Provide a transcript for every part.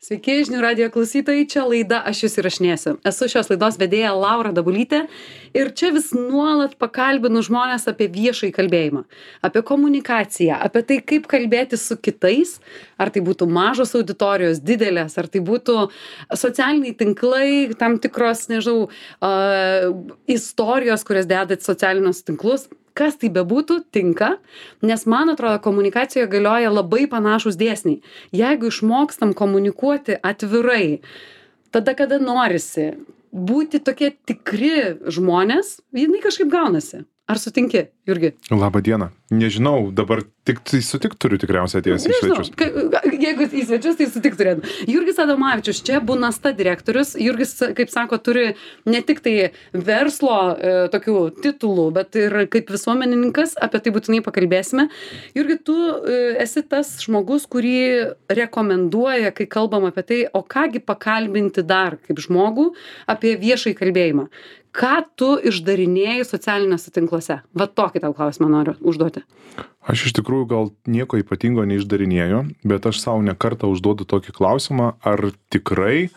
Sveiki, žinių radijo klausytojai, čia laida Aš jūs įrašinėsiu. Esu šios laidos vedėja Laura Dabulytė ir čia vis nuolat pakalbinu žmonės apie viešąjį kalbėjimą, apie komunikaciją, apie tai, kaip kalbėti su kitais, ar tai būtų mažos auditorijos, didelės, ar tai būtų socialiniai tinklai, tam tikros, nežinau, istorijos, kurias dedat socialinius tinklus. Kas tai bebūtų, tinka, nes man atrodo, komunikacijoje galioja labai panašūs dėsniai. Jeigu išmokstam komunikuoti atvirai, tada kada norisi būti tokie tikri žmonės, jinai kažkaip gaunasi. Ar sutinki, Jurgi? Labą dieną. Nežinau, dabar tik sutikt turiu tikriausiai atėjęs į svečius. Jeigu į svečius, tai sutikt turėtum. Jurgis Adomavičius, čia Bunasta direktorius. Jurgis, kaip sako, turi ne tik tai verslo tokių titulų, bet ir kaip visuomenininkas, apie tai būtinai pakalbėsime. Jurgi, tu esi tas žmogus, kurį rekomenduoja, kai kalbam apie tai, o kągi pakalbinti dar kaip žmogų apie viešąjį kalbėjimą. Ką tu išdarinėjai socialiniuose tinkluose? Va tokį tau klausimą noriu užduoti. Aš iš tikrųjų gal nieko ypatingo neišdarinėju, bet aš savo ne kartą užduodu tokį klausimą, ar tikrai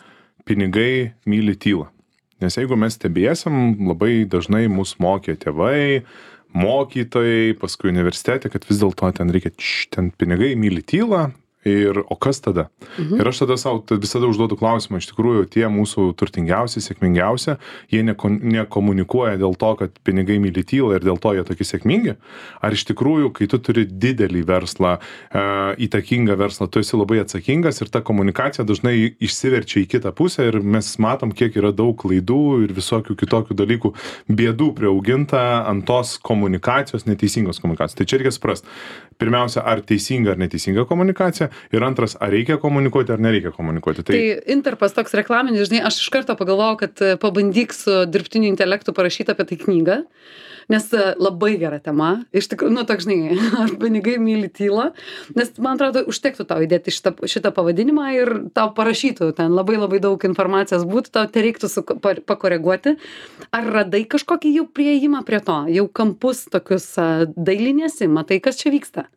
pinigai myli tylą. Nes jeigu mes stebėsim, labai dažnai mus mokė tėvai, mokytojai, paskui universitete, kad vis dėlto ten reikia, ten pinigai myli tylą. O kas tada? Ir aš tada savo visada užduodu klausimą, iš tikrųjų tie mūsų turtingiausi, sėkmingiausi, jie nekomunikuoja dėl to, kad pinigai myli tylą ir dėl to jie tokie sėkmingi. Ar iš tikrųjų, kai tu turi didelį verslą, įtakingą verslą, tu esi labai atsakingas ir ta komunikacija dažnai išsiverčia į kitą pusę ir mes matom, kiek yra daug klaidų ir visokių kitokių dalykų bėdų priauginta ant tos komunikacijos, neteisingos komunikacijos. Tai čia reikia suprasti. Pirmiausia, ar teisinga ar neteisinga komunikacija ir antras, ar reikia komunikuoti ar nereikia komunikuoti. Tai Interpas toks reklaminis, žinai, aš iš karto pagalvojau, kad pabandyk su dirbtiniu intelektu parašyti apie tai knygą, nes labai gera tema. Iš tikrųjų, toks, žinai, ar pinigai myli tylą, nes man atrodo, užtektų tau įdėti šitą pavadinimą ir tau parašytų, ten labai daug informacijos būtų, tau tereiktų pakoreguoti. Ar radai kažkokį jau prieimą prie to, jau kampus tokius dailinėsi, matai, kas čia vyksta?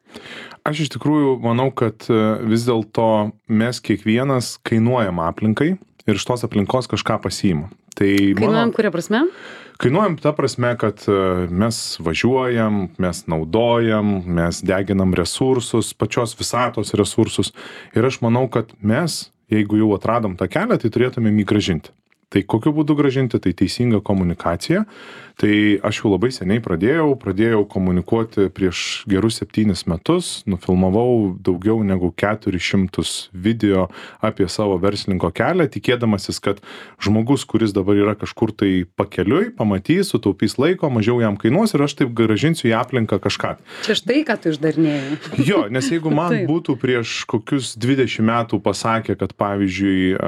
Aš iš tikrųjų manau, kad vis dėlto mes kiekvienas kainuojam aplinkai ir iš tos aplinkos kažką pasiimam. Kainuojam kuria prasme? Kainuojam ta prasme, kad mes važiuojam, mes naudojam, mes deginam resursus, pačios visatos resursus. Ir aš manau, kad mes, jeigu jau atradom tą kelią, tai turėtumėm jį grąžinti. Tai kokiu būdu grąžinti? Tai teisinga komunikacija. Tai aš jau labai seniai pradėjau komunikuoti prieš gerus 7 metus, nufilmavau daugiau negu 400 video apie savo verslininko kelią, tikėdamasis, kad žmogus, kuris dabar yra kažkur tai pakeliui, pamatys, sutaupys laiko, mažiau jam kainuos ir aš taip grąžinsiu į aplinką kažką. Čia štai, ką tu išdarinėjai. Jo, nes jeigu man būtų prieš kokius 20 metų pasakę, kad pavyzdžiui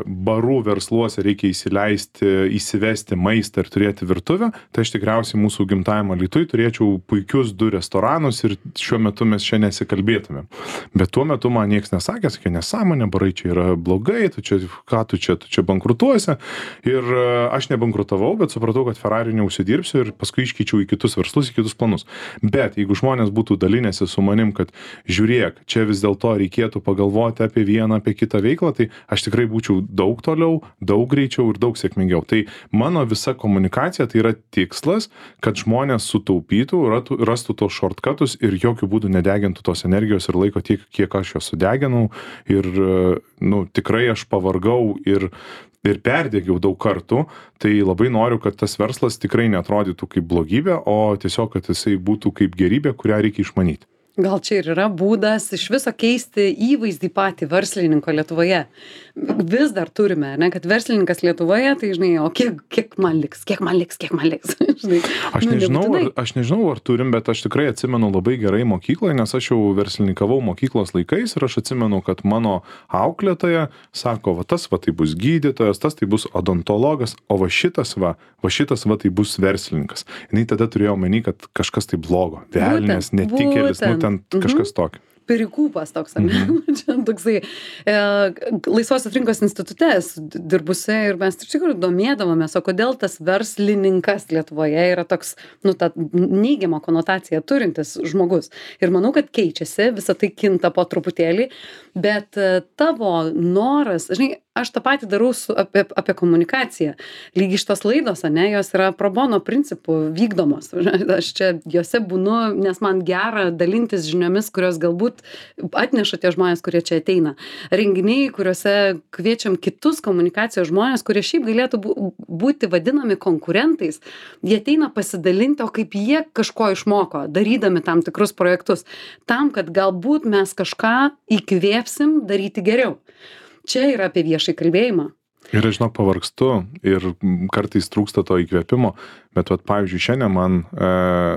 barų versluose reikia įsivesti maistą ir turėti virtuvę, tai aš tikriausiai mūsų gimtajam Alytuj turėčiau puikius 2 restoranus ir šiuo metu mes čia nesikalbėtumėm. Bet tuo metu man nieks nesakė, sakė, nesąmonė, barai čia yra blogai, tu čia bankrutuosi. Ir aš nebankrutavau, bet supratau, kad Ferrari neužsidirbsiu ir paskui iškeičiau į kitus verslus, į kitus planus. Bet jeigu žmonės būtų dalinęsi su manim, kad žiūrėk, čia vis dėlto reikėtų pagalvoti apie vieną, apie kitą veiklą, tai aš tikrai būčiau daug toliau, daug greičiau ir daug sėkmingiau. Tai mano visa komunikacija tai yra tikslas, kad žmonės sutaupytų, rastų tos shortcutus ir jokių būdų nedegintų tos energijos ir laiko tiek, kiek aš jos sudeginau. Ir tikrai aš pavargau ir perdegiau daug kartų, tai labai noriu, kad tas verslas tikrai neatrodytų kaip blogybė, o tiesiog, kad jisai būtų kaip gerybė, kurią reikia išmanyti. Gal čia ir yra būdas iš viso keisti įvaizdį patį verslininko Lietuvoje. Vis dar turime, ne, kad verslininkas Lietuvoje, tai žinai, o kiek man liks. Žinai, aš nežinau, ar turim, bet aš tikrai atsimenu labai gerai mokykloje, nes aš jau verslininkavau mokyklos laikais ir aš atsimenu, kad mano auklėtoja sako, va tai bus gydytojas, tas tai bus odontologas, o va šitas tai bus verslininkas. Jinai tada turėjo omeny, kad kažkas tai blogo, velnės, netikėlis, ten kažkas tokio. perikūpas toks, ar ne? Čia toksai Laisvosios rinkos institute dirbusi ir mes iš tikrųjų domėdavomės, o kodėl tas verslininkas Lietuvoje yra toks, ta neigiamą konotaciją turintis žmogus. Ir manau, kad keičiasi, visą tai kinta po truputėlį, bet tavo noras, žinai, aš tą patį darau apie komunikaciją. Lygiai šitos laidos, ane, jos yra pro bono principų vykdomos. Aš čia jose būnu, nes man gera dalintis žiniomis, kurios galbūt atneša tie žmonės, kurie čia ateina. Renginiai, kuriuose kviečiam kitus komunikacijos žmonės, kurie šiaip galėtų būti vadinami konkurentais, jie ateina pasidalinti, o kaip jie kažko išmoko, darydami tam tikrus projektus, tam, kad galbūt mes kažką įkvėpsim daryti geriau. Čia yra apie viešai kalbėjimą. Ir aš žinok, pavargstu ir kartais trūksta to įkvėpimo, bet pavyzdžiui, šiandien man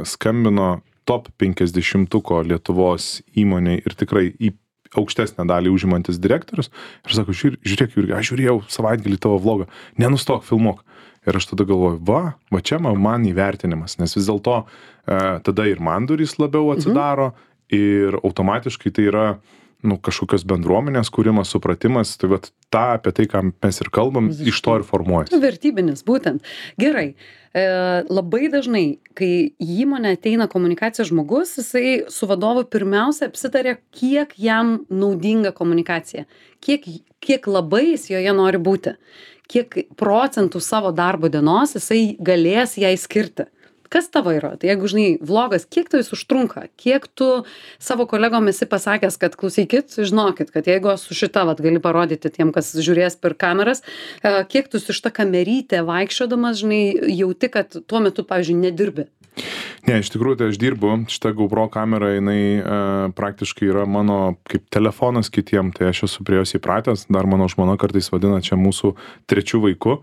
skambino top 50-ko Lietuvos įmonėj ir tikrai į aukštesnę dalį užimantis direktorius ir sako, žiūrėk, Jurgi, aš žiūrėjau savaitgalį tavo vlogą, nenustok, filmuok. Ir aš tada galvoju, va čia man įvertinimas, nes vis dėlto tada ir man durys labiau atsidaro ir automatiškai tai yra kažkokios bendruomenės kūrimas, supratimas, tai tą apie tai, ką mes ir kalbam, iš to ir formuojasi. Vertybinis, būtent. Gerai. Labai dažnai, kai į įmonę ateina komunikacijos žmogus, jisai su vadovu pirmiausia apsitarė, kiek jam naudinga komunikacija, kiek labai jis joje nori būti, kiek procentų savo darbo dienos jisai galės jai skirti. Kas tavo yra? Tai jeigu, žinai, vlogas, kiek tai jis užtrunka? Kiek tu savo kolegom esi pasakęs, kad klausykit, žinokit, kad jeigu su šita, gali parodyti tiem, kas žiūrės per kameras, kiek tu su šita kamerytė vaikščiodamas, žinai, jauti, kad tuo metu, pavyzdžiui, nedirbi? Ne, iš tikrųjų, tai aš dirbu, šita GoPro kamera, jinai praktiškai yra mano kaip telefonas kitiem, tai aš esu prie jos įpratęs, dar mano žmona kartais vadina čia mūsų trečių vaikų.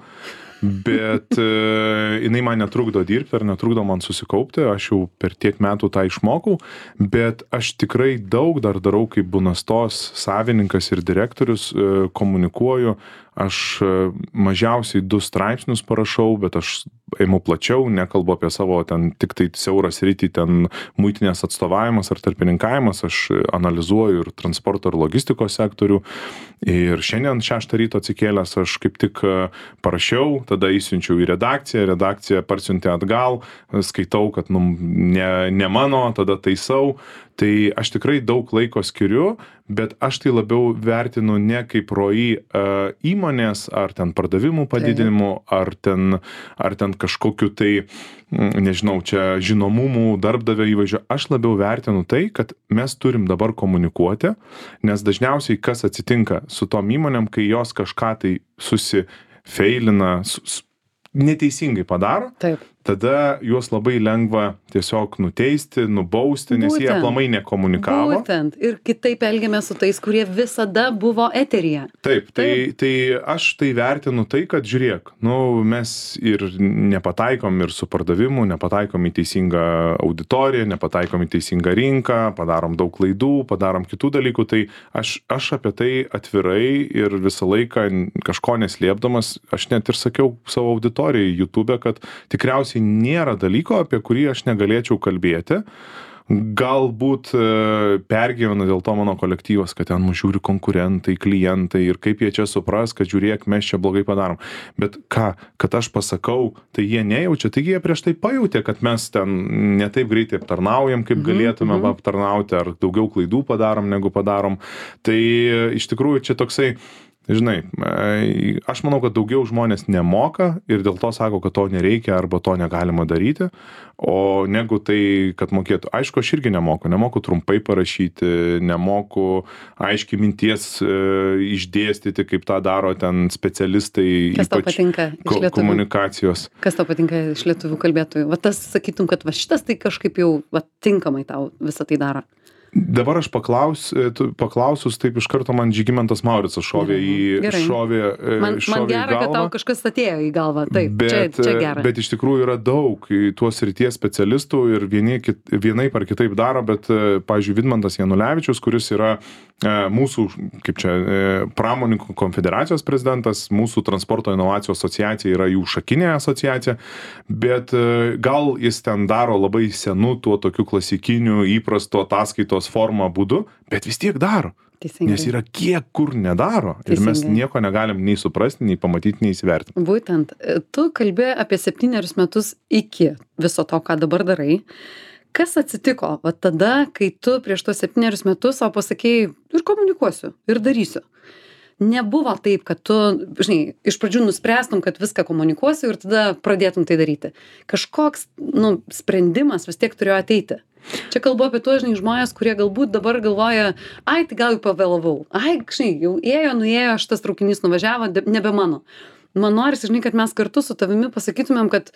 Bet jinai man netrukdo dirbti ar netrukdo man susikaupti, aš jau per tiek metų tą išmokau, bet aš tikrai daug dar darau kaip Bunastos savininkas ir direktorius, komunikuoju, aš mažiausiai 2 straipsnius parašau, bet aš eimu plačiau, nekalbu apie savo ten tik tai siaurą sritį, ten muitinės atstovavimas ar tarpininkavimas, aš analizuoju ir transporto ir logistikos sektorių. Ir šiandien 6 ryto atsikėlęs aš kaip tik parašiau, tada įsiunčiau į redakcija parsiuntė atgal, skaitau, kad ne mano, tada taisau. Tai aš tikrai daug laiko skiriu, bet aš tai labiau vertinu ne kaip ROI įmonės, ar ten pardavimų padidinimu, ar ten kažkokiu tai, nežinau, čia žinomumų, darbdavio įvaizdžio. Aš labiau vertinu tai, kad mes turim dabar komunikuoti, nes dažniausiai kas atsitinka su tom įmonėm, kai jos kažką tai susifeilina, neteisingai padaro. Taip. Tada juos labai lengva tiesiog nuteisti, nubausti, nes jie aplamai nekomunikavo. Būtent. Ir kitaip elgiamės su tais, kurie visada buvo eteryje. Taip. Tai aš tai vertinu tai, kad žiūrėk, mes ir nepataikom ir su pardavimu, nepataikom į teisingą auditoriją, nepataikom į teisingą rinką, padarom daug klaidų, padarom kitų dalykų. Tai aš apie tai atvirai ir visą laiką kažko neslėpdamas, aš net ir sakiau savo auditorijai YouTube, kad tikriausiai nėra dalyko, apie kurį aš negalėčiau kalbėti. Galbūt pergyvena dėl to mano kolektyvas, kad ten mus žiūri konkurentai, klientai ir kaip jie čia supras, kad žiūrėk, mes čia blogai padarom. Bet kad aš pasakau, tai jie nejaučia, taigi jie prieš tai pajautė, kad mes ten ne taip greitai aptarnaujam, kaip galėtume aptarnauti, ar daugiau klaidų padarom, negu padarom. Tai iš tikrųjų čia toksai, žinai, aš manau, kad daugiau žmonės nemoka ir dėl to sako, kad to nereikia arba to negalima daryti, o negu tai, kad mokėtų. Aišku, aš irgi nemoku trumpai parašyti, nemoku aiškiai minties išdėstyti, kaip tą daro ten specialistai, kas ypač komunikacijos. Kas tau patinka iš lietuvių kalbėtojų? Va tas sakytum, kad va šitas tai kažkaip jau tinkamai tau visą tai daro. Dabar aš paklausus, taip iš karto man Žygimantas Mauricas šovė į man gera, kad tau kažkas atėjo į galvą. Taip, čia gera. Bet iš tikrųjų yra daug tuos srities specialistų ir vienaip ar kitaip daro, bet, pavyzdžiui, Vidmantas Janulevičius, kuris yra mūsų, kaip čia, pramonininkų konfederacijos prezidentas, mūsų transporto inovacijų asociacija yra jų šakinė asociacija, bet gal jis ten daro labai senų tuo tokiu klasikiniu įprasto ataskaitos žiniasklaidos forma būdu, bet vis tiek daro. Teisingai. Nes yra kiek kur nedaro. Ir mes Teisingai. nieko negalim nei suprasti, nei pamatyti, nei įsivertinti. Būtent, tu kalbė apie 7 metus iki viso to, ką dabar darai. Kas atsitiko va tada, kai tu prieš tos 7 metus savo pasakėjai ir komunikuosiu, ir darysiu? Nebuvo taip, kad tu, žinai, iš pradžių nuspręstum, kad viską komunikuosiu ir tada pradėtum tai daryti. Kažkoks, sprendimas vis tiek turėjo ateiti. Čia kalbu apie tuos, žinai, žmonės, kurie galbūt dabar galvoja, ai, tai gal jau pavėlavau. Ai, žinai, jau nuėjo, šitas traukinys nuvažiavo, nebe mano. Man norisi, žinai, kad mes kartu su tavimi pasakytumėm, kad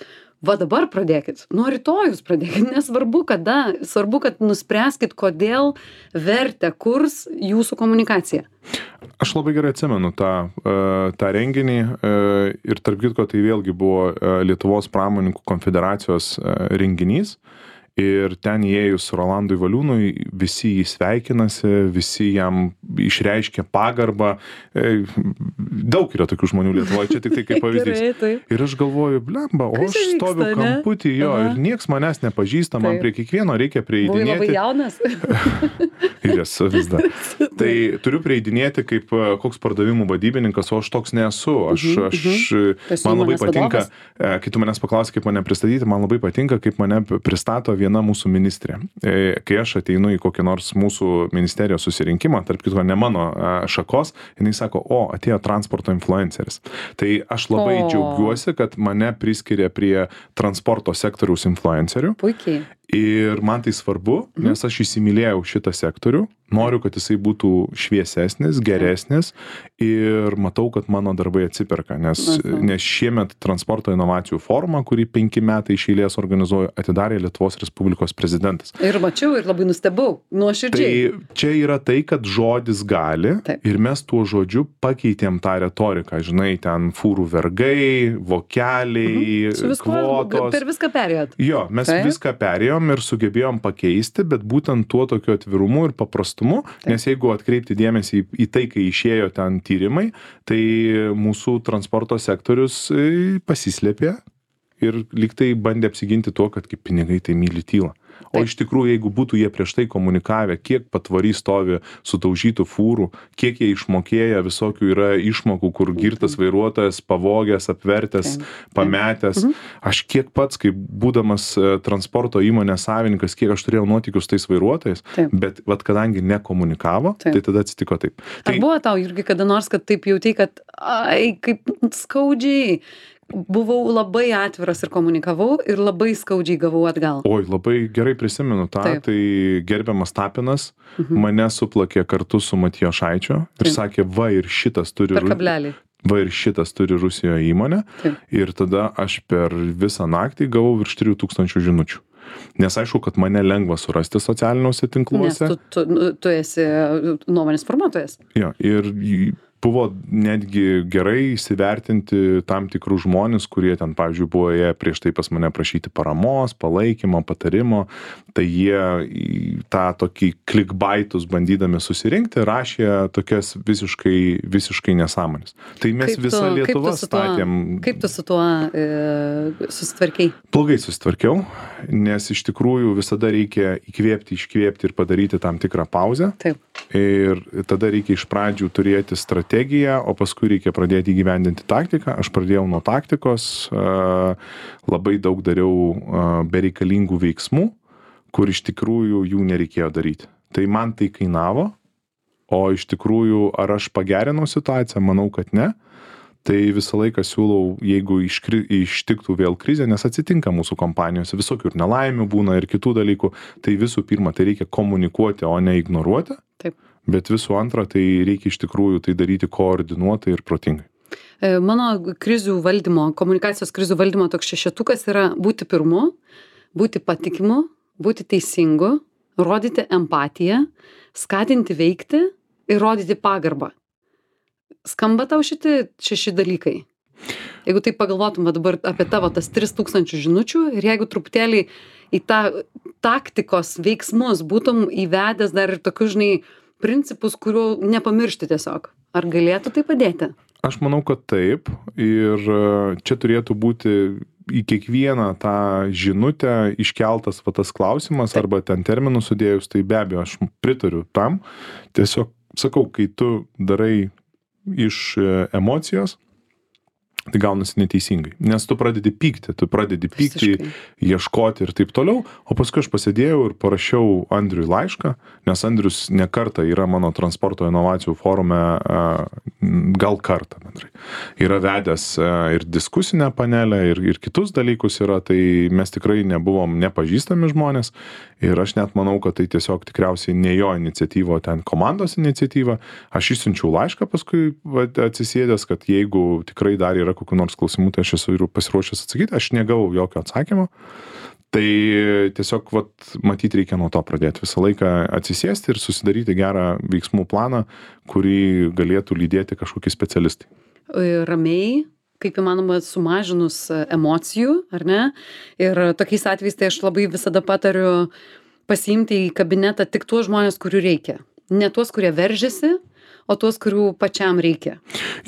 va dabar pradėkit, nuo rytojus pradėkit, nesvarbu kada, svarbu, kad nuspręskit, kodėl vertę kurs jūsų komunikacija. Aš labai gerai atsimenu tą renginį ir tarp kitko tai vėlgi buvo Lietuvos pramonininkų konfederacijos renginys. Ir ten įėjus Rolandui Valiūnui, visi jį sveikinasi, visi jam išreiškia pagarbą. Daug yra tokių žmonių Lietuvoje, čia tik tai kaip pavyzdys. Gerai, Ir aš galvoju, blemba, o aš stoviu kamputį jo ir nieks manęs nepažįsta, man prie kiekvieno reikia prieidinėti. Buvai labai jaunas? Ir esu vis dar. Tai turiu prieidinėti kaip koks pardavimų vadybininkas, o aš toks nesu. Man labai patinka, kai tu manęs paklausai, kaip mane pristatyti, man labai patinka, kaip mane pristato viena mūsų ministrė. Kai aš ateinu į kokį nors mūsų ministerijos susirinkimą, tarp kitko ne mano šakos, jinai sako, atėjo transporto influenceris. Tai aš labai džiaugiuosi, kad mane priskiria prie transporto sektoriaus influencerių. Puikiai. Ir man tai svarbu, nes aš įsimylėjau šitą sektorių, noriu, kad jisai būtų šviesesnis, geresnis ir matau, kad mano darbai atsiperka, nes šiemet transporto inovacijų forumą, kurį 5 metai iš eilės organizuoju, atidarė Lietuvos Respublikos prezidentas. Ir mačiau ir labai nustebau, nuoširdžiai. Tai čia yra tai, kad žodis gali ir mes tuo žodžiu pakeitėm tą retoriką, žinai, ten fūrų vergai, vokeliai, kvotos. Per viską perėjot. Jo, mes viską perėjom ir sugebėjom pakeisti, bet būtent tuo tokiu atvirumu ir paprastumu, nes jeigu atkreipti dėmesį į tai, kai išėjo ten tyrimai, tai mūsų transporto sektorius pasislėpė ir lyg tai bandė apsiginti tuo, kad kaip pinigai tai myli tylą. O iš tikrųjų, jeigu būtų jie prieš tai komunikavę, kiek patvory stovi sutaužytų fūrų, kiek jie išmokėję, visokių yra išmokų, kur girtas vairuotojas, pavogęs, apvertęs, pametęs. Aš kiek pats, kaip būdamas transporto įmonės savininkas, kiek aš turėjau nuotykius tais vairuotojais, bet kadangi nekomunikavo, tai tada atsitiko taip. Ar buvo tau irgi kada nors, kad taip jauti, kad kaip skaudžiai buvau labai atviras ir komunikavau ir labai skaudžiai gavau atgal? Oi, labai gerai prisimenu tą, tai gerbiamas Tapinas mane suplakė kartu su Matijošaičiu ir sakė, va ir šitas turi... Per kablelį. Va ir šitas turi Rusijoje įmonę. Ir tada aš per visą naktį gavau virš 3000 žinučių. Nes aišku, kad mane lengva surasti socialiniuose tinkluose. Nes tu esi nuomonės formuotojas. Jo, ir buvo netgi gerai įsivertinti tam tikrus žmonės, kurie ten, pavyzdžiui, buvo jie prieš tai pas mane prašyti paramos, palaikymo, patarimo, tai jie tą tokį clickbaitus bandydami susirinkti, rašė tokias visiškai nesąmonės. Tai mes visą Lietuvą statėm. Kaip tu su tuo susitvarkei? Blogai susitvarkiau, nes iš tikrųjų visada reikia įkvėpti, iškvėpti ir padaryti tam tikrą pauzę. Taip. Ir tada reikia iš pradžių turėti strategiją, o paskui reikia pradėti įgyvendinti taktiką. Aš pradėjau nuo taktikos, labai daug dariau bereikalingų veiksmų, kur iš tikrųjų jų nereikėjo daryti. Tai man tai kainavo, o iš tikrųjų ar aš pagerinau situaciją, manau, kad ne. Tai visą laiką siūlau, jeigu ištiktų vėl krizė, nes atsitinka mūsų kompanijose, visokių ir nelaimių būna ir kitų dalykų, tai visų pirma, tai reikia komunikuoti, o ne ignoruoti. Taip. Bet visų antra, tai reikia iš tikrųjų tai daryti koordinuotai ir protingai. Mano krizių valdymo, komunikacijos krizių valdymo toks šešetukas yra būti pirmu, būti patikimu, būti teisingu, rodyti empatiją, skatinti veikti ir rodyti pagarbą. Skamba tau šitie 6 dalykai? Jeigu taip pagalvotum dabar apie tavo tas 3000 žinučių ir jeigu truputėlį į tą taktikos veiksmus būtum įvedęs dar ir tokius, žinai, principus, kurių nepamiršti tiesiog. Ar galėtų tai padėti? Aš manau, kad taip. Ir čia turėtų būti į kiekvieną tą žinutę iškeltas va tas klausimas arba ten terminus sudėjus, tai be abejo aš pritariu tam. Tiesiog sakau, kai tu darai iš emocijos, tai gaunasi neteisingai. Nes tu pradedi pykti, ieškoti ir taip toliau, o paskui aš pasėdėjau ir parašiau Andriui laišką, nes Andrius ne kartą yra mano transporto inovacijų forume, gal kartą bendrai. Yra vedęs ir diskusinę panelę, ir kitus dalykus yra, tai mes tikrai nebuvom nepažįstami žmonės ir aš net manau, kad tai tiesiog tikriausiai ne jo iniciatyva, o ten komandos iniciatyva. Aš išsiunčiau laišką paskui atsisėdęs, kad jeigu tikrai dar yra kokių nors klausimų, tai aš esu ir pasiruošęs atsakyti, aš negavau jokio atsakymo. Tai tiesiog, matyt, reikia nuo to pradėti. Visą laiką atsisėsti ir susidaryti gerą veiksmų planą, kurį galėtų lydėti kažkokie specialistai. Ramiai, kaip įmanoma, sumažinus emocijų, ar ne? Ir tokiais atvejais tai aš labai visada patariu pasiimti į kabinetą tik tuos žmonės, kurių reikia. Ne tuos, kurie veržiasi, o tuos, kurių pačiam reikia.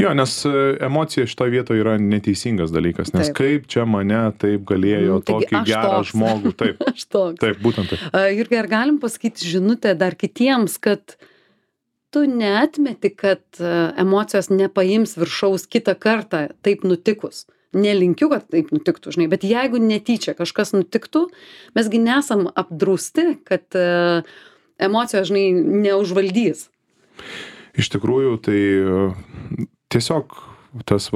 Jo, nes emocija šitoje vietoje yra neteisingas dalykas, nes kaip čia mane taip galėjo tokį gerą žmogų. Taip, aš toks. Taip, būtent taip. Jurgi, ar galim pasakyti žinutę dar kitiems, kad tu neatmeti, kad emocijos nepaims viršaus kitą kartą taip nutikus? Nelinkiu, kad taip nutiktų, žinai, bet jeigu netyčia kažkas nutiktų, mesgi nesam apdrausti, kad emocijos, žinai, neužvaldys. Iš tikrųjų, tai tiesiog tas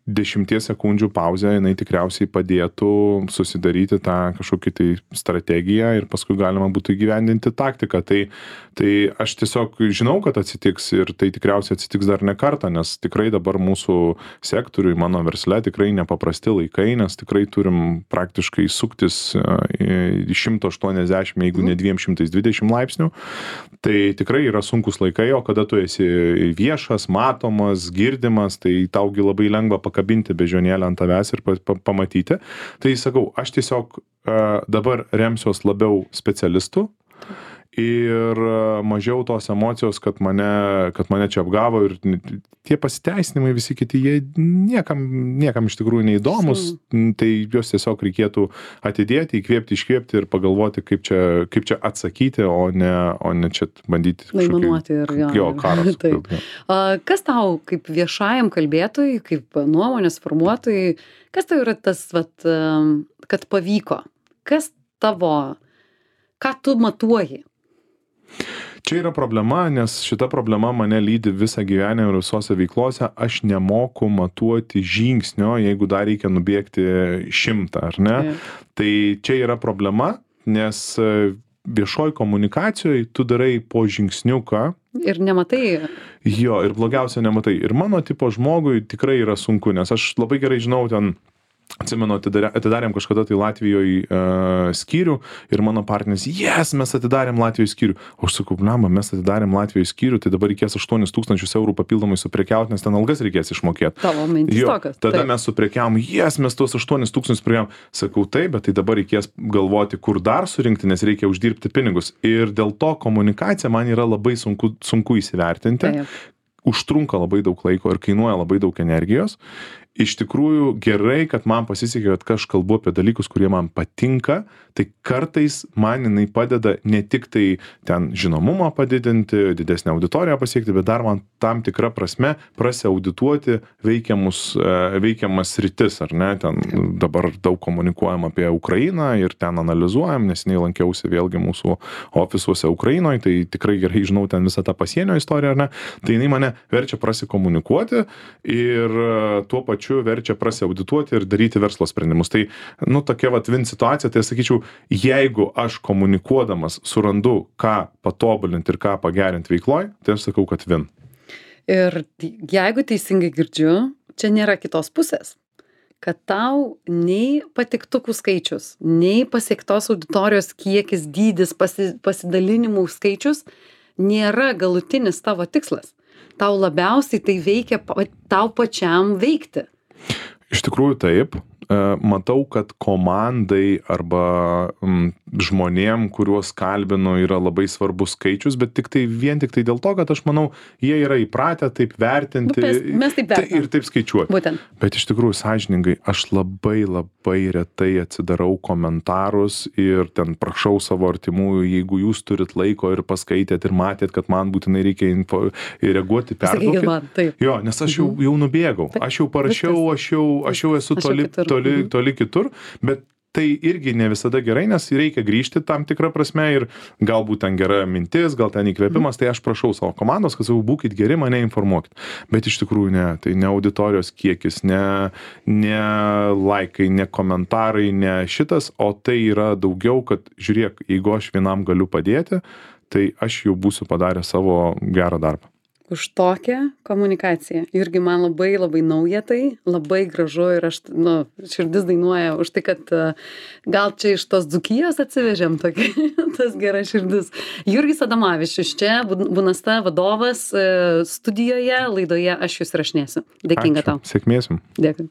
10 sekundžių pauzė, jinai tikriausiai padėtų susidaryti tą kažkokį tai strategiją ir paskui galima būtų įgyvendinti taktiką. Tai aš tiesiog žinau, kad atsitiks ir tai tikriausiai atsitiks dar ne kartą, nes tikrai dabar mūsų sektoriui, mano versle tikrai nepaprasti laikai, nes tikrai turim praktiškai suktis į 180, jeigu ne 220 laipsnių. Tai tikrai yra sunkus laikai, o kada tu esi viešas, matomas, girdimas, tai taugi labai lengva pakabinti bežionėlę ant tavęs ir pamatyti. Tai sakau, aš tiesiog dabar remsiuos labiau specialistų ir mažiau tos emocijos, kad mane čia apgavo ir tie pasiteisinimai visi kiti, jie niekam iš tikrųjų neįdomus, tai juos tiesiog reikėtų atidėti, įkvėpti, iškvėpti ir pagalvoti, kaip čia atsakyti, o ne čia bandyti kažkokį karą. Kas tau kaip viešajam kalbėtojui, kaip nuomonės formuotojui, kas tau yra tas, kad pavyko? Kas ką tu matuoji? Čia yra problema, nes šita problema mane lydi visą gyvenimą ir visose veiklose. Aš nemoku matuoti žingsnio, jeigu dar reikia nubėgti 100, ar ne? Tai čia yra problema, nes viešoj komunikacijoje tu darai po žingsniuką. Ir nematai. Jo, ir blogiausia nematai. Ir mano tipo žmogui tikrai yra sunku, nes aš labai gerai žinau ten, atsimenu, atidarėm kažkada tai Latvijoje skyrių ir mano partneris, mes atidarėm Latvijoje skyrių. O aš sakau, mes atidarėm Latvijoje skyrių, tai dabar reikės 8 000 eurų papildomai suprekiauti, nes ten algas reikės išmokėti. Tavo mintis tokios. Tada mes suprekiavom, mes tuos 8 000 prekiavom. Sakau, taip, bet tai dabar reikės galvoti, kur dar surinkti, nes reikia uždirbti pinigus. Ir dėl to komunikacija man yra labai sunku įsivertinti. Užtrunka labai daug laiko ir kainuoja labai daug energijos. Iš tikrųjų gerai, kad man pasisekė, kad aš kalbu apie dalykus, kurie man patinka, tai kartais man jinai padeda ne tik tai ten žinomumą padidinti, didesnę auditoriją pasiekti, bet dar man tam tikrą prasme prasiaudituoti veikiamas sritis, ar ne? Ten dabar daug komunikuojam apie Ukrainą ir ten analizuojam, nes lankiausi vėlgi mūsų ofisuose Ukrainoje, tai tikrai gerai žinau ten visą tą pasienio istoriją, ar ne? Tai jinai mane verčia prasikomunikuoti ir tuo pačiu verčia prasiaudituoti ir daryti verslo sprendimus. Tai, tokia win situacija, tai sakyčiau, jeigu aš komunikuodamas surandu, ką patobulinti ir ką pagerinti veikloj, tai aš sakau, kad win. Ir jeigu teisingai girdžiu, čia nėra kitos pusės, kad tau nei patiktukų skaičius, nei pasiektos auditorijos kiekis, dydis, pasidalinimų skaičius nėra galutinis tavo tikslas. Tau labiausiai tai veikia tau pačiam veikti. Iš tikrųjų taip, matau, kad komandai arba žmonėm, kuriuos kalbinu, yra labai svarbus skaičius, bet vien tik tai dėl to, kad aš manau, jie yra įpratę taip vertinti Mes taip vertinam. ir taip skaičiuoti. Būtent. Bet iš tikrųjų, sąžiningai, aš labai retai atsidarau komentarus ir ten prašau savo artimųjų, jeigu jūs turit laiko ir paskaitėt ir matėt, kad man būtinai reikia reaguoti, Sakykit perduokit. man, taip. Jo, nes aš jau nubėgau, aš jau parašiau, aš jau esu toli kitur, bet tai irgi ne visada gerai, nes reikia grįžti tam tikrą prasme ir galbūt ten gera mintis, gal ten įkvėpimas, tai aš prašau savo komandos, kad būkit geri, mane informuokit. Bet iš tikrųjų ne, tai ne auditorijos kiekis, ne laikai, ne komentarai, ne šitas, o tai yra daugiau, kad žiūrėk, jeigu aš vienam galiu padėti, tai aš jau būsiu padaręs savo gerą darbą. Už tokią komunikaciją. Jurgi, man labai nauja tai, labai gražu ir aš, širdis dainuoja už tai, kad gal čia iš tos Dzūkijos atsivežėm tokį, tas geras širdis. Jurgis Adomavičius, čia Bunasta vadovas studijoje, laidoje Aš jus įrašinėsiu. Dėkinga tau. Sėkmės jums. Dėkui.